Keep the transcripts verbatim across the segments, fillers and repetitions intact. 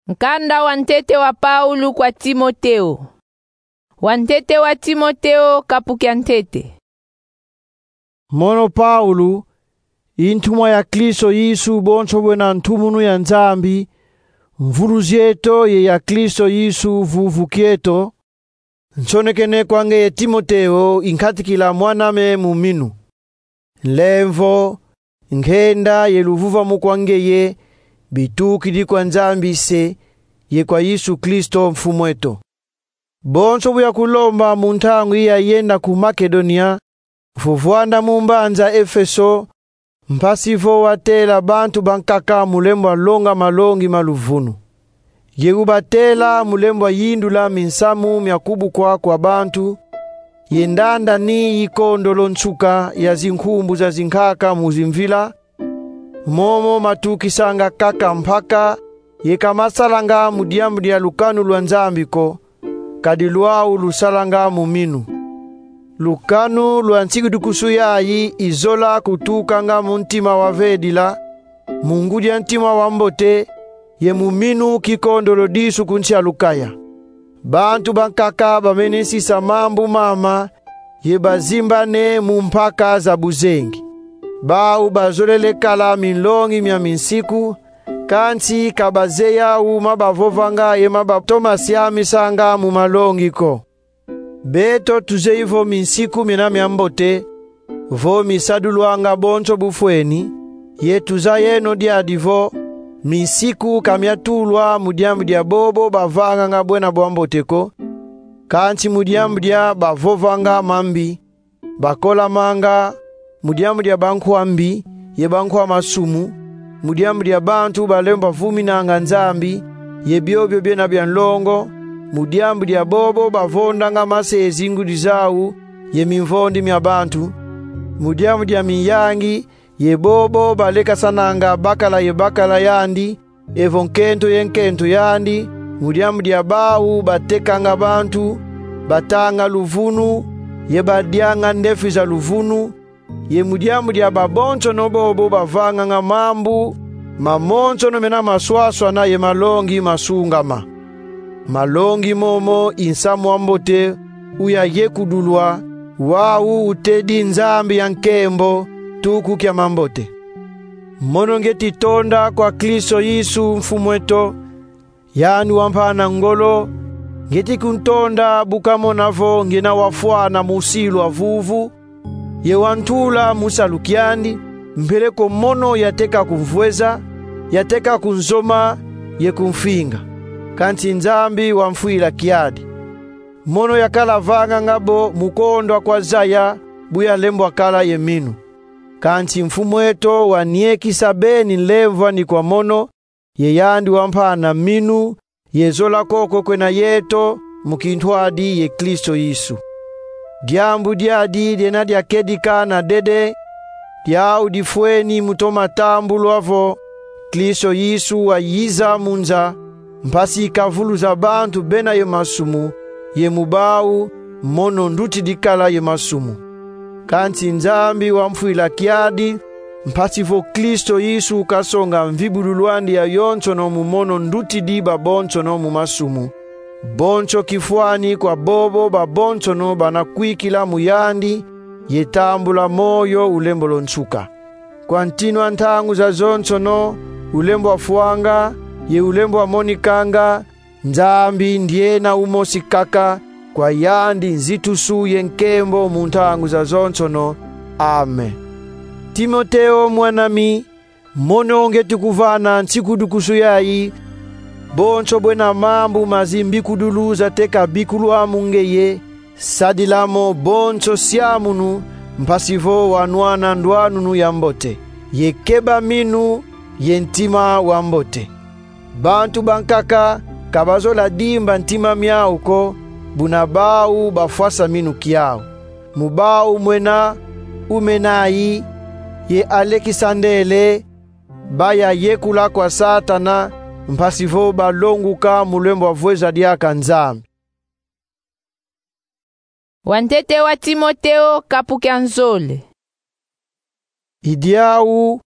Nkanda wa ntete wa Paulo kwa Timoteo. Wa ntete wa Timoteo, kapu kia ntete. Mono Paulo, i ntumwa ya Kristo Yesu, bonso bwena ntumunu ya Nzambi, mvuluzi eto ye ya Kristo Yesu, vuvu kieto, nsonekene kwa ngeye Timoteo, i nkatikila mwan'ame mu minu. Nlemvo, ngenda ye luvuvamu kwa ngeye, bitukidi kwa Nzambi Se, ye kwa Yesu Kristo Mfumu eto. Bonso bu yakulomba mu ntangu yi yayenda ku Makedonia, vo vwanda mu mbanza Efeso, mpasi vo watela bantu bankaka mu lembwa longa malongi ma luvunu. Ye ubatela mu lembwa yindula minsamu mya kubukwa kwa bantu, ye ndandani yi kondolo nsuka ya zinkumbu za zinkaka mu zimvila, momo matukisanga kaka mpaka, ye ka masalanga mu diambu dia lukanu lwa Nzambi ko, kadi lwau lusalanga mu minu. Lukanu lwa nsikidukusu yayi i zola kutukanga mu ntima wa vedila, mu ngudi a ntima wa mbote, ye mu minu kikondolo disu ku nsi a Lukaya. Bantu bankaka bamene sisa mambu mama, ye bazimbane mu mpaka za buzengi. Bau bazolele kala minlongi mya minsiku, kansi ka bazeyi au ma bavovanga ye ma batoma siamisanga mu malongi ko. Beto tuzeyi vo minsiku miena mya mbote, vo misadulwanga bonso bufweni, ye tuzayeno diadi vo, minsiku ka myatulwa mu diambu dia bobo bavanganga bwena bwa mbote ko, kansi mu diambu dia bavovanga mambi, bakolamanga, mu diambu dia bankwa mbi, ye bankwa masumu, mu diambu dia bantu balembwa vuminanga Nzambi, ye biobio biena bya nlongo, mu diambu dia bobo bavondanga mase ye zingudi zau, ye mimvondi mya bantu, mu diambu dia minyangi, ye bobo balekasananga bakala ye bakala yandi, evo nkento ye nkento yandi, mu diambu dia bau batekanga bantu, batanga luvunu, ye badianga ndefi za luvunu, ye mu diambu dia babonsono bobo bavanganga mambu mamonsono mena maswaswana ye malongi masungama. Malongi momo i nsamu wa mbote u yayekudulwa, wau utedi Nzambi ya nkembo, tuku kia mambote. Mono ngeti tonda kwa Kristo Yesu Mfumu eto, yandi wampana ngolo, ngeti kuntonda bu kamona vo ngena wafwana mu silu a vuvu, ye wantula mu salu kiandi, mpeleko mono yateka kumvweza, yateka kunzoma, ye kumfinga. Kansi Nzambi wamfwila kiadi. Mono yakala vanganga bo mu kondwa kwa zaya, bu yalembwa kala ye minu. Kansi Mfumu eto waniekisa beni nlemvwani kwa mono, ye yandi wampana minu, ye zola koko kwena yeto, mu kintwadi ye Kristo Yesu. Diambu diadi diena diakedika na dede, diau difweni mu toma tambulwa vo, Kristo Yesu wayiza mu nza, mpasi kavuluza bantu bena ye masumu, ye mu bau, mono ndutidi kala ye masumu. Kansi Nzambi wamfwila kiadi, mpasi vo Kristo Yesu kasonga mvibululu andi yayonsono mu mono ndutidi babonsono mu masumu. Bonso kifwani kwa bobo babonsono bana kwikila mu yandi, ye tambula moyo ulembolo nsuka. Kwa ntinu a ntangu zazonsono, ulembwa fwanga, ye ulembwa monikanga, Nzambi ndiena umosi kaka, kwa yandi nzitusu ye nkembo mu ntangu zazonsono. Amen. Timoteo mwan'ami, mono ngeti kuvana nsikidukusu yayi, bonso bwena mambu ma zimbikudulu zateka bikulwa mu ngeye, sadila mo bonso siamunu, mpasi vo wanwana ndwanunu ya mbote, ye keba minu, ye ntima wa mbote. Bantu bankaka ka bazola dimba ntima miau ko, buna bau bafwasa minu kiau. Mu bau mwena Umenayi, ye Alekisandele, bayayekula kwa Satana, mpasi vo balonguka mu lembwa vweza diaka Nzambi. Wa ntete wa Timoteo, kapu kia nzole. I diau,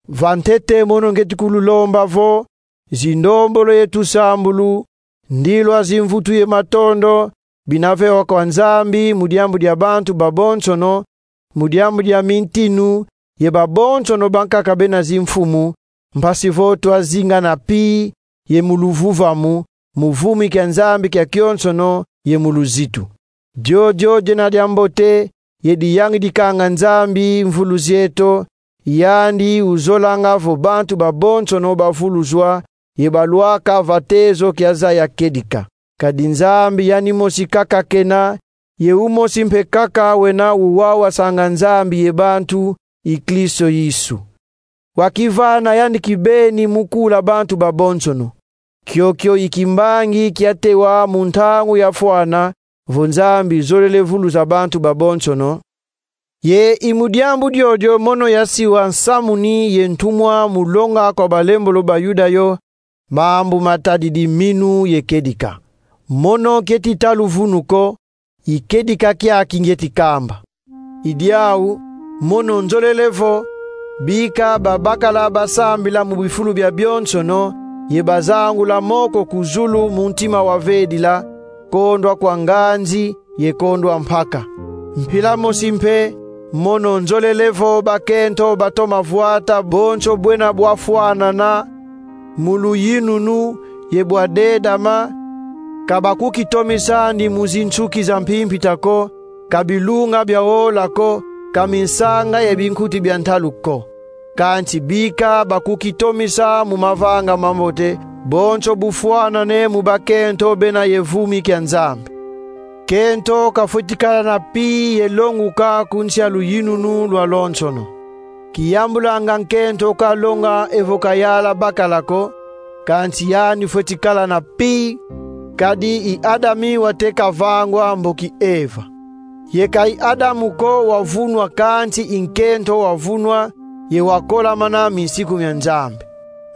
va ntete mono ngeti kululomba vo, zindombolo ye tusambulu, ndilwa zimvutu ye matondo, bina vewa kwa Nzambi mu diambu dia bantu babonsono, mu diambu dia mintinu, ye babonsono bankaka bena zimfumu, mpasi vo twazinga na pi ye mu luvuvamu, mu vumi kia Nzambi kia kionsono ye mu luzitu. Diodio diena dia mbote ye diyangidikanga Nzambi mvulu zieto, yandi uzolanga vo bantu babonsono bavuluzwa ye balwaka va tezo kia zaya kedika. Kadi Nzambi yandi mosi kaka kena, ye umosi mpe kaka wena uwawasanga Nzambi ye bantu, i Kristo Yesu. Wakivana yandi kibeni mu kula bantu babonsono. Kiokio i kimbangi kiatewa mu ntangu yafwana, vo Nzambi zolele vuluza bantu babonsono. Ye i mu diambu diodio mono yasiwa nsamuni ye ntumwa mu longa kwa balembolo ba Yuda yo mambu matadidi minu ye kedika. Mono kieti tala luvunu ko, i kedika kiaki ngieti kamba. I diau, mono nzolele vo, bika babakala basambila mu bifulu bia bionsono, ye bazangula moko ku zulu mu ntima wa vedila, kondwa kwa nganzi ye kondwa mpaka. Mpila mosi mpe, mono nzolele vo bakento batoma vwata bonso bwena bwafwanana mu luyinunu ye bwadedama, ka bakukitomisa andi mu zinsuki za mpimpita ko, ka bilunga bia wola ko, ka minsanga ye binkuti bia ntalu ko. Kansi bika bakukitomisa mu mavanga mambote, bonso bufwanane mu bakento bena ye vumi kia Nzambi. Kento kafweti kala na pi ye longuka ku nsi a luyinunu lwalonsono. Kiyambulanga nkento kalonga evo kayala bakala ko, kansi yandi fweti kala na pi, kadi i Adami wateka vangwa mboki Eva. Ye ka i Adamu ko wavunwa, kansi i nkento wavunwa, ye wakolamana minsiku mia Nzambi.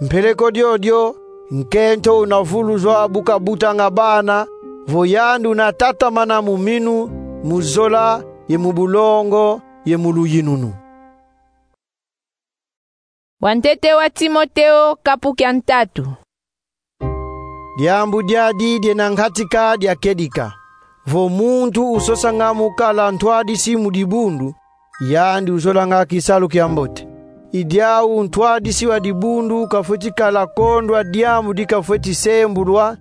Mpeleko diodio, nkento una vuluzwa bu kabutanga bana, vo yandi una tatamana mu minu, mu zola, ye mu bulongo, ye mu luyinunu. Wantete wa Timoteo, kapu kia ntatu. Diambu diadi diena nkatika dia kedika. Vo muntu usosanga mu kala ntwadisi mu dibundu, yandi uzolanga kisalu kia mbote. I diau ntwadisi wa dibundu kafweti kala kondwa diambu di kafweti sembulwa,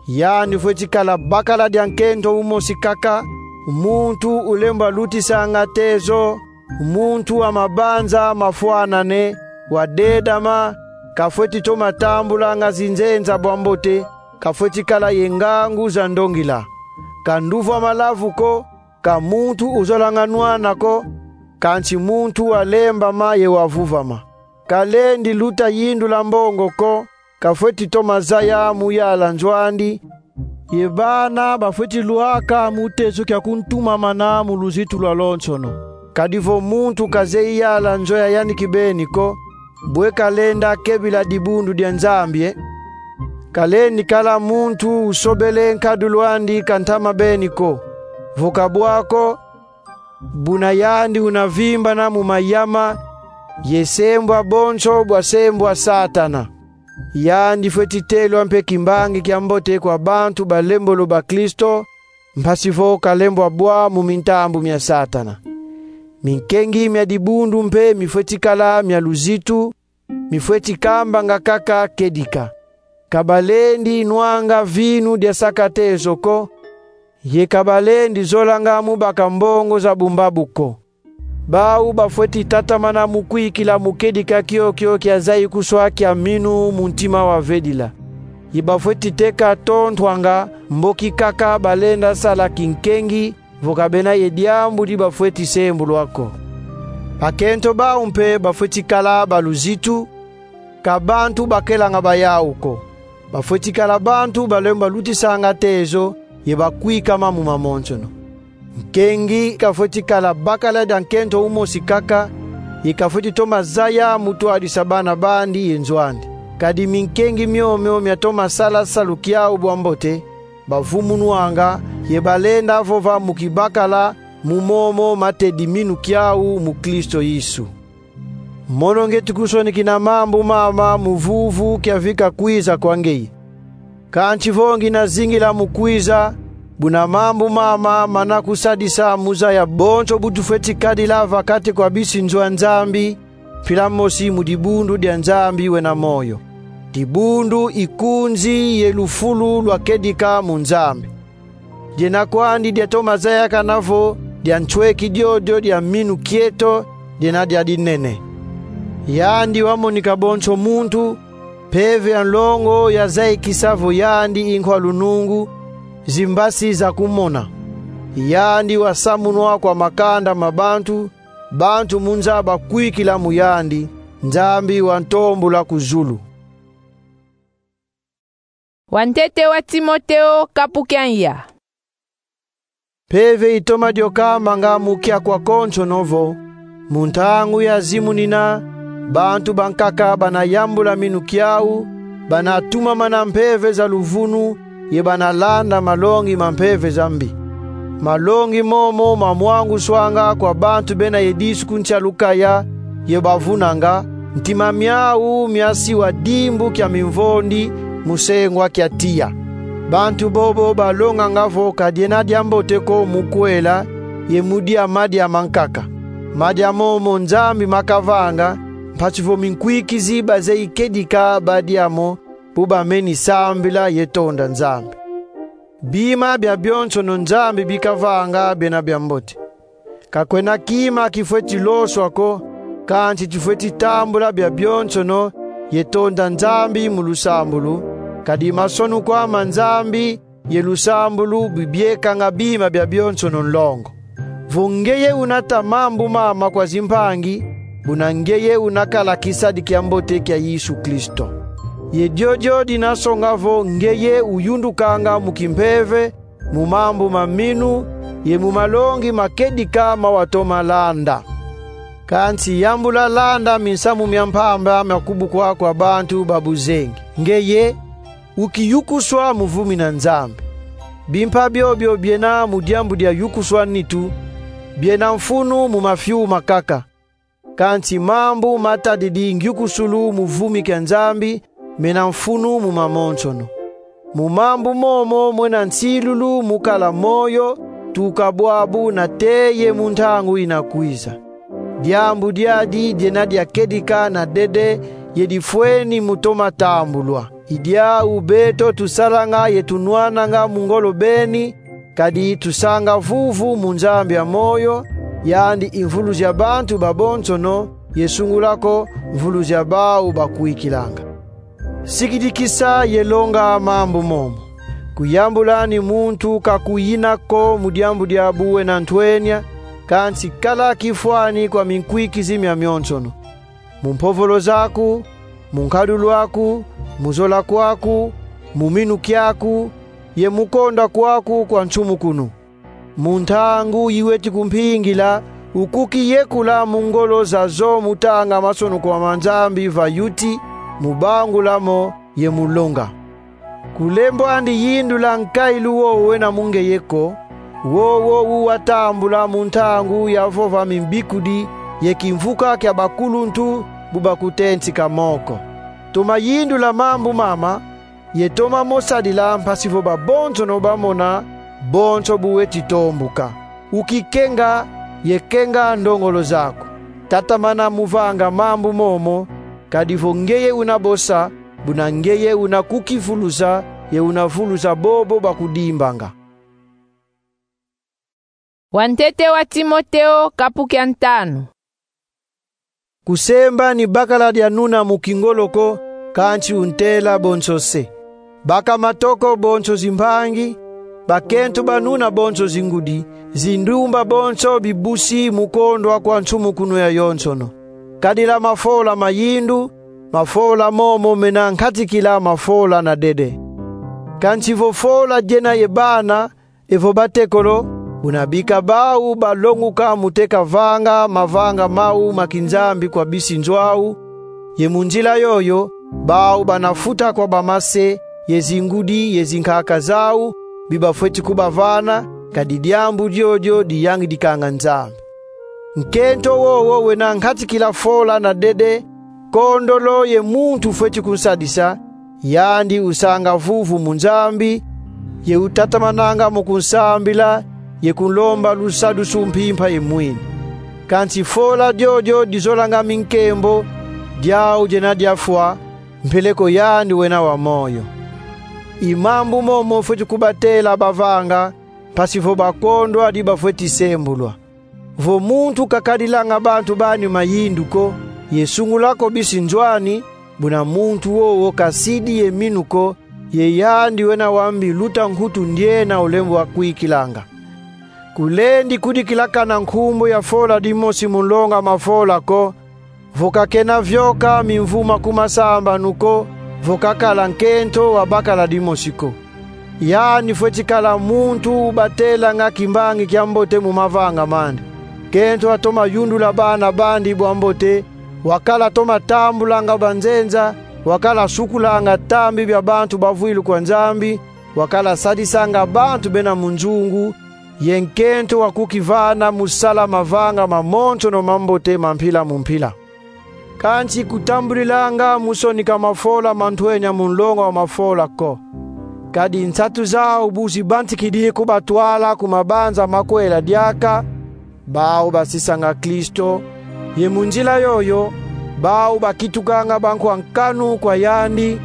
yandi fweti kala bakala dia nkento umosi kaka, muntu ulemba lutisanga tezo, muntu wa mabanza mafwanane, wa dedama, kafweti toma tambulanga zinzenza bwa mbote, kafweti kala ye ngangu za ndongila. Ka nduva malavu ko, ka muntu uzolanga nwana ko, kansi muntu wa lembama ye wa vuvama. Kalendi luta yindula mbongo ko, kafweti toma zaya mu yala nzo andi, ye bana bafweti lwaka mu tezo kia kuntumamana mu luzitu lwalonsono. Kadi vo muntu kazeyi yala nzo ya yandi kibeni ko, bwe kalenda kebila dibundu dia Nzambi, e? Kalendi kala muntu usobele nkadulu andi ka ntama beni ko. Vo kabwa ko, buna yandi una vimbana mu mayama, ye sembwa bonso bwa sembwa Satana. Yandi fweti telwa mpe kimbangi kia mbote kwa bantu balembolo ba Kristo, mpasi vo kalembwa bwa mu mintambu mia Satana. Minkengi mia dibundu mpe mifweti kala mia luzitu, mifweti kambanga kaka kedika. Ka balendi nwanga vinu dia saka tezo ko, ye ka balendi zolanga mu baka mbongo za bumbabu ko. Bau bafweti tatamana mu kwikila mu kedika kiokio kia zayi kuswa kia minu mu ntima wa vedila. Ye bafweti teka tontwanga mboki kaka balenda sala kinkengi, vo ka bena ye diambu di bafweti sembulwa ko. Bakento bau mpe bafweti kala ba luzitu, ka bantu bakelanga ba yau ko. Bafweti kala bantu balemba lutisanga tezo, ye bakwikama mu mamonsono. Nkengi kafweti kala bakala dia nkento umosi kaka, ye kafweti toma zaya mu twadisa bana bandi ye nzo andi. Kadi minkengi miomio miatoma sala salu kiau bwa mbote, bavumunwanga, ye balenda vova mu kibakala, mu momo matedi minu kiau mu Kristo Yesu. Mono ngieti kusonikina mambu mama mu vuvu kia vika kwiza kwa ngeye. Kansi vo ngina zingila mu kwiza, buna mambu mama mana kusadisa mu zaya bonso bu tufweti kadila va kati kwa bisi nzo a Nzambi, mpila mosi mu dibundu dia Nzambi wena moyo. Dibundu i kunzi ye lufulu lwa kedika mu Nzambi. Diena kwandi diatoma zayakana vo dia nsweki diodio dia minu kieto diena dia dinene. Yandi wamonika bonso muntu, mpeve ya nlongo yazayikisa vo yandi i nkwa lunungu, zimbasi za kumona. Yandi wasamunwa kwa makanda ma bantu, bantu mu nza bakwikila mu yandi, Nzambi wantombula ku zulu. Wantete wa Timoteo, kapu kia nza. Mpeve itoma diokamanga mu kiaku akonsono vo, mu ntangu yazimunina, bantu bankaka bana yambula minu kiau, bana tumamana mpeve za luvunu, ye bana landa malongi ma mpeve za mbi. Malongi momo mamwanguswanga kwa bantu bena ye disu ku nsi a lukaya, ye bavunanga, ntima miau miasiwa dimbu kia mimvondi mu sengwa kia tiya. Bantu bobo balonganga vo ka diena diambote ko mu kwela ye mu dia madia mankaka. Madia momo Nzambi makavanga, mpasi vo minkwikizi bazeyi kedika badia mo, bu bameni sambila ye tonda Nzambi. Bima biabionsono Nzambi bikavanga biena biambote. Ka kwena kima kifweti loswa ko, kansi tufweti tambula biabionsono ye tonda Nzambi mu lusambulu, kadi masonukwa ma Nzambi ye lusambulu bibiekanga bima biabionsono nlongo. Vo ngeye unata mambu mama kwa zimpangi, buna ngeye unakala kisadi kiambote kia Yesu Kristo. Ye diodio dina songa vo ngeye uyundukanga mu kimpeve, mu mambu ma minu, ye mu malongi ma kedika ma watoma landa. Kansi yambula landa minsamu mia mpamba mia kubukwa kwa bantu ba buzengi. Ngeye ukiyukuswa mu vumi na Nzambi. Bimpa biobio biena mu diambu dia yukuswa nitu, biena mfunu mu mafiu makaka. Kansi mambu matadidi ngyukusulu mu vumi kia Nzambi, mena mfunu mu mamonsono. Mu mambu momo mwena nsilulu mu kala moyo, tuka bwabu nate ye mu ntangu ina kwiza. Diambu diadi diena dia kedika na dede, ye difweni mu toma tambulwa. I diau beto tusalanga ye tunwananga mu ngolo beni, kadi tusanga vuvu mu Nzambi a moyo, yandi i mvuluzi a bantu babonsono, ye sungula ko mvuluzi a bau bakwikilanga. Sikidikisa ye longa mambu momo. Kuyambula ani muntu ka kuyina ko mu diambu dia buwena ntwenia, kansi kala kifwani kwa minkwikizi miamionsono. Mu mpovolo zaku, mu nkadulu aku, mu zola kwaku, mu minu kiaku, ye mu konda kwaku kwa nsumukunu. Mu ntangu yiweti kumpingila, ukukiyekula mu ngolo zazo mu tanga masonukwa ma Nzambi va yuti, mu bangula mo ye mu longa. Kulembwandi yindula nkailu wo wena mu ngeye ko, wowo uwatambula mu ntangu ya vova mimbikudi ye kimvuka kia bakuluntu bu bakutentika moko. Toma yindula mambu mama, ye toma mo sadila mpasi vo babonsono bamona bonso bu weti tombuka. Ukikenga ye kenga ndongolo zaku. Tatamana mu vanga mambu momo, kadi vo ngeye una bosa, buna ngeye una kukivuluza, ye una vuluza bobo bakudimbanga. Wantete wa Timoteo, kapu kia ntanu. Kusemba ni bakala dia nuna mu kingolo ko, kansi untela bonso se. Baka matoko bonso zimpangi, bakento ba nuna bonso zingudi, zindumba bonso bibusi mu kondwa kwa nsumukunu yayonsono. Kadila mafola ma yindu, mafola momo mena nkatikila mafola na dede. Kansi vo fola diena ye bana, evo batekolo, buna bika bau balonguka mu teka vanga mavanga mau ma kinzambi kwa bisi nzo au, ye mu nzila yoyo, bau bana futa kwa bamase, ye zingudi, ye zinkaka zau, bi bafweti kubavana, kadi diambu diodio diyangidikanga Nzambi. Nkento wowo wena nkatikila fola na dede, kondolo ye muntu fweti kunsadisa, yandi usanga vuvu mu Nzambi, ye utatamananga mu kunsambila, ye kunlomba lusadusu mpimpa ye mwini. Kansi fola diodio dizolanga minkembo, diau diena diafwa, mpeleko yandi wena wa moyo. I mambu momo fweti kubatela bavanga, mpasi vo bakondwa di bafweti sembulwa. Vo muntu kakadilanga bantu bani mayindu ko, ye sungula ko bisi nzo ani, buna muntu wowo kasidi ye minu ko, ye yandi wena wa mbi luta nkutu ndiena ulembwa kwikilanga. Kulendi kudikilakana nkumbu ya fola dimosi mu nlonga mafola ko, vo kakena vioka mimvuma ku masambanu ko, vo kakala nkento wa bakala dimosi ko. Yandi fweti kala muntu ubatelanga kimbangi kia mbote mu mavanga mandi. Nkento atoma yundula bana bandi bwa mbote, wakala toma tambulanga banzenza, wakala sukulanga tambi bia bantu bavwilu kwa Nzambi, wakala sadisanga bantu bena mu nzungu, ye nkento wa kukivana mu sala mavanga mamonsono mambote ma mpila mu mpila. Kansi kutambudilanga mu sonika mafola ma ntwenya mu nlonga wa mafola ko. Kadi nsatu zau bu zibantikidi kubatwala ku mabanza makwela diaka, bau basisanga Kristo, ye mu nzila yoyo, bau bakitukanga bankwa nkanu kwa yandi,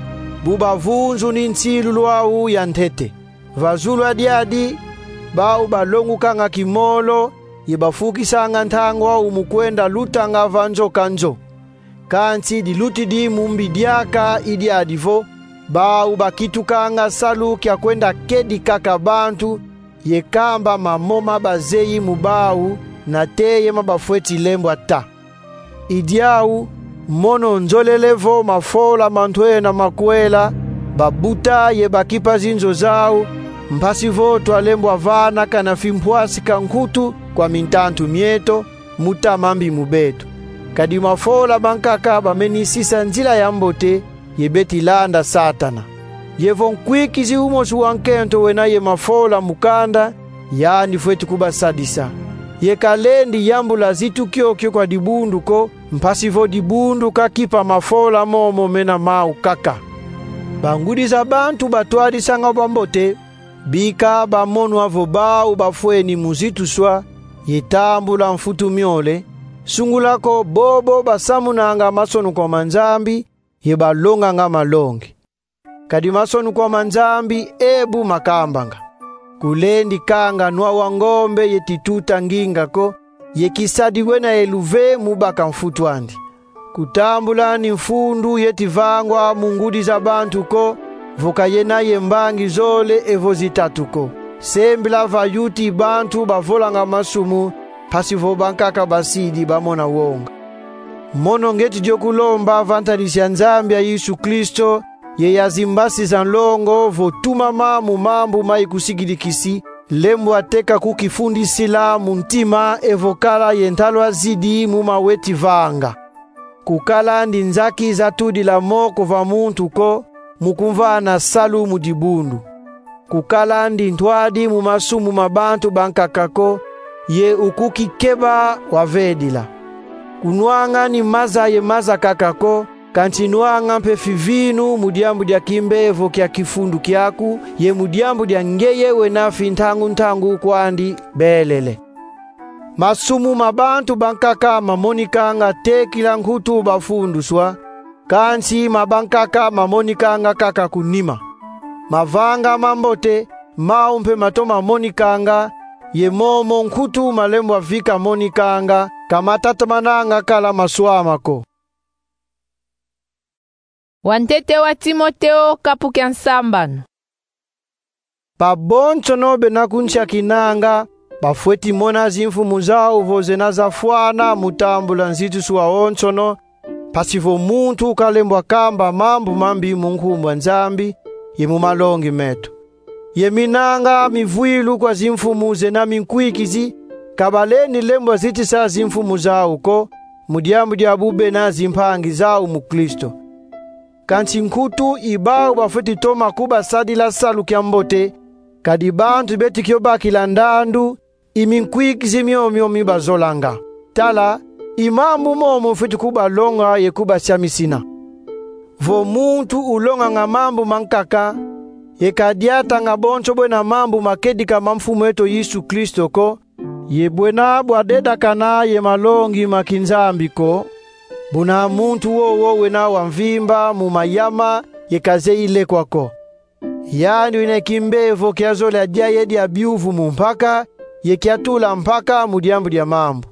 bu bavunzuni nsilulu au ya ntete. Va zulu a diadi, bau balongukanga kimolo, ye bafukisanga ntangu au mu kwenda lutanga va nzo ka nzo. Kansi dilutidi mu mbi diaka i diadi vo, bau bakitukanga salu kia kwenda kedi kaka bantu, ye kamba mamo ma bazeyi mu bau, nate ye ma bafweti lembwa ta. I diau, mono nzolele vo mafola ma ntwenya makwela, babuta ye bakipa zinzo zau, mpasi vo twalembwa vana kana fimpwasika nkutu kwa mintantu mieto, mu ta mambi mu beto. Kadi mafola mankaka bameni sisa nzila ya mbote, ye beti landa Satana. Ye vo nkwikizi umosi wa nkento wena ye mafola mu kanda, yandi fweti kubasadisa. Ye kalendi yambula zitu kiokio kwa dibundu ko, mpasi vo dibundu kakipa mafola momo mena mau kaka. Bangudi za bantu batwadisanga bwa mbote, bika bamonwa vo bau bafweni mu zituswa, ye tambula mfutu miole, sungula ko bobo basamunanga mansonukwa ma Nzambi, ye balonganga malongi. Kadi mansonukwa ma Nzambi ebu makambanga: Kulendi kanga nwa wa ngombe ye tituta nginga ko, ye kisadi wena ye luve mu baka mfutu andi. Kutambula ni mfundu yeti vangwa mu ngudi za bantu ko, vo kayena ye mbangi zole evo zitatu ko. Sembila va yuti bantu bavolanga masumu, mpasi vo bankaka basidi bamona wonga. Mono ngeti dio kulomba va ntadisi ya Nzambi ya Yesu Kristo, ye ya zimbasi za nlongo vo tumama mu mambu ma ikusikidikisi, lembwa teka kukifundisila mu ntima evo kala ye ntalwazidi mu ma weti vanga. Kukala ndi nzaki za tudila moko va muntu ko, mu kumvana salu mu dibundu. Kukala ndi ntwadi mu masumu ma bantu bankaka ko, ye ukukikeba wavedila. Kunwanga ni maza ye maza kaka ko, kansi nwanga mpe fivinu mu diambu dia kimbevo kia kifundu kiaku, ye mu diambu dia ngeye wena fintangu-ntangu kwandi belele. Masumu ma bantu bankaka mamonikanga tekila nkutu bafunduswa, kansi ma bankaka mamonikanga kaka ku nima. Mavanga mambote, mau mpe matoma monikanga, ye momo nkutu malembwa vika monikanga, ka matatamananga kala maswama ko. Wantete wa Timoteo, kapu kia nsambanu. Babonsono bena kunsiakinanga, bafweti mona zimfumu zau vo zena zafwana mu tambula nzituswa wonsono, mpasi vo muntu kalembwa kamba mambu mambi mu nkumbu a Nzambi, ye mu malongi meto. Ye minanga mivwilu kwa zimfumu zena minkwikizi, ka balendi lembwa zitisa zimfumu zau ko, mu diambu dia bu bena zimpangi zau mu Kristo. Kansi nkutu i bau bafweti toma kubasadila salu kia mbote, kadi bantu beti kio bakila ndandu, i minkwikizi miomio mi bazolanga. Tala, i mambu momo ufwete kubalonga ye kubasiamisina. Vo muntu ulonganga mambu mankaka, ye kadiatanga bonso bwena mambu makedika ma Mfumu eto Yesu Kristo ko, ye bwena bwa dedakana ye malongi ma kinzambi ko, buna muntu wowo wena wa mvimba mu mayama ye kazeyi lekwa ko. Yandi wena kimbevo kia zola dia ye dia biuvu mu mpaka, ye kia tula mpaka mu diambu dia mambu.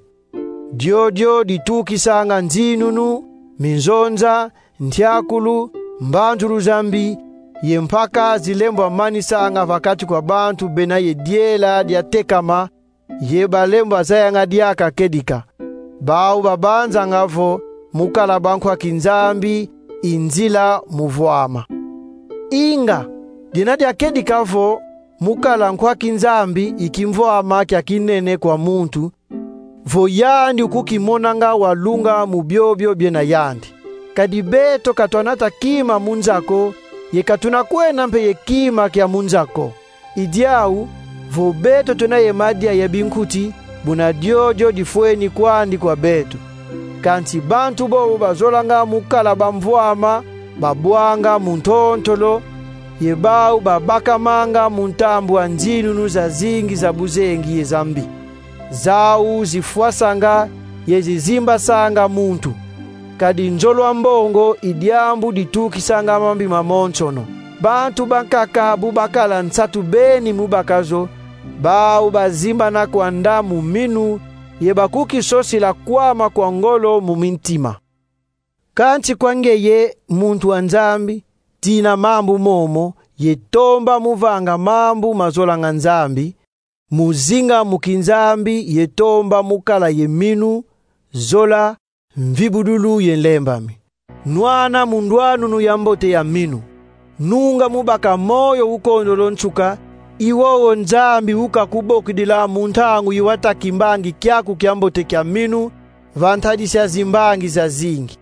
Diodio ditukisanga nzinunu, minzonza, ntiakulu, mbanzulu za mbi, ye mpaka zilembwa manisanga va kati kwa bantu bena ye diela dia tekama, ye balembwa zayanga diaka kedika. Bau babanzanga vo mu kala bankwa kinzambi i nzila mu vwama. Inga, dina dia kedika vo mu kala nkwa kinzambi i kimvwama kia kinene kwa muntu, vo yandi ukukimonanga wa lunga mu biobio biena yandi. Kadi beto ka twanata kima mu nza ko, ye ka tuna kwenda mpe ye kima kia mu nza ko. I diau, vo beto tuna ye madia ye binkuti, buna diodio difweni kwandi kwa beto. Kansi bantu bobo bazolanga mu kala bamvwama, babwanga mu ntontolo, ye bau babakamanga mu ntambu a nzinunu zazingi za buzengi ye za mbi. Zau zifwasanga ye zizimbasanga muntu. Kadi nzolwa mbongo i diambu ditukisanga mambi mamonsono. Bantu bankaka bu bakala nsatu beni mu baka zo, bau bazimbana kwanda mu minu, ye bakukisosila kwama kwa ngolo mu mintima. Kansi kwa ngeye muntu wa Nzambi, tina mambu momo, ye tomba mu vanga mambu mazolanga Nzambi, mu zinga mu kinzambi ye tomba mu kala ye minu, zola, mvibudulu ye nlembami. Nwana mu ndwanunu ya mbote ya minu. Nunga mu baka moyo ukondolo nsuka, i wowo Nzambi ukakubokidila mu ntangu yi wata kimbangi kiaku kia mbote kia minu, va ntadisi a zimbangi zazingi.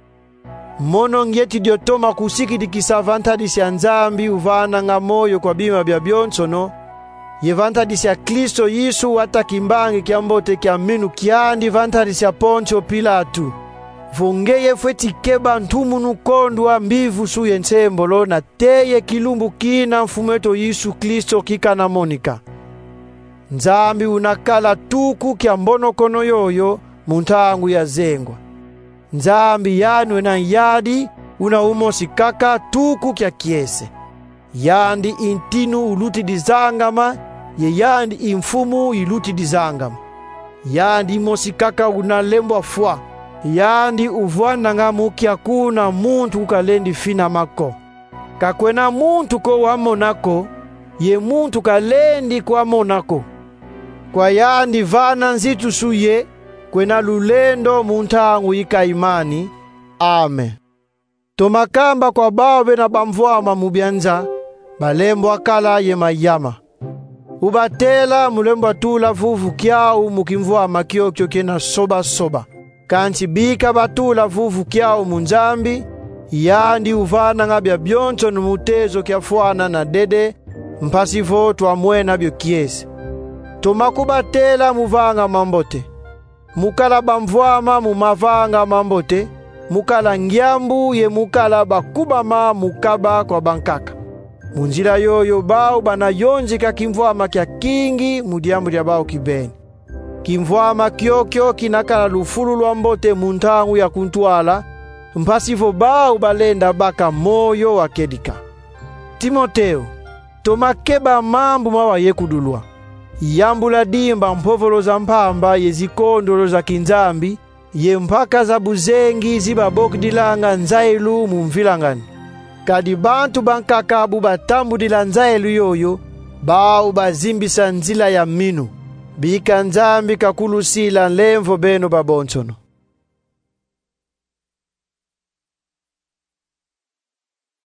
Mono ngieti dio toma kusikidikisa va ntadisi a Nzambi uvananga moyo kwa bima biabionsono, ye va ntadisi a Kristo Yesu wata kimbangi kia mbote kia minu kiandi va ntadisi a Pontio Pilatu. Vo ngeye fweti keba ntumunu kondwa mbivusu ye nsembolo nate ye kilumbu kina Mfumu eto Yesu Kristo kikana monika. Nzambi una kala tuku kia mbonokono yoyo mu ntangu ya zengwa. Nzambi yandi wena yadi una umosi kaka tuku kia kiese. Yandi i ntinu ulutidi zangama, ye yandi i mfumu ilutidi zangama. Yandi mosi kaka una lembwa fwa. Yandi uvwananga mu kiaku na muntu kalendi finama ko. Ka kwena muntu ko wamona ko, ye muntu kalendi kwamona ko. Kwa yandi vana nzitusu ye kwena lulendo mu ntangu yi ka imani. Amen. Toma kamba kwa bau bena bamvwama mu bia nza, balembwa kala ye mayama. Ubatela mu lembwa tula vuvu kiau mu kimvwama kiokio kiena soba-soba. Kansi bika batula vuvu kiau mu Nzambi, yandi uvananga biabionsono mu tezo kiafwana na dede, mpasi vo twamwena bio kiese. Toma kubatela mu vanga mambote, mu kala bamvwama mu mavanga mambote, mu kala ngiambu ye mu kala bakubama mu kaba kwa bankaka. Mu nzila yoyo bau bana yonzika kimvwama kia kingi mu diambu dia bau kibeni. Kimvwama kiokio kina kala lufulu lwa mbote mu ntangu ya kuntwala, mpasi vo bau balenda baka moyo wa kedika. Timoteo, toma keba mambu mawa yekudulwa. Yambula dimba mpovolo za mpamba ye zikondolo za kinzambi, ye mpaka za buzengi zi babokidilanga nzailu mu mvilangani. Kadi bantu bankaka bu batambudila nzailu yoyo, bau bazimbisa nzila ya minu. Bika Nzambi kakulusila nlemvo beno babonsono.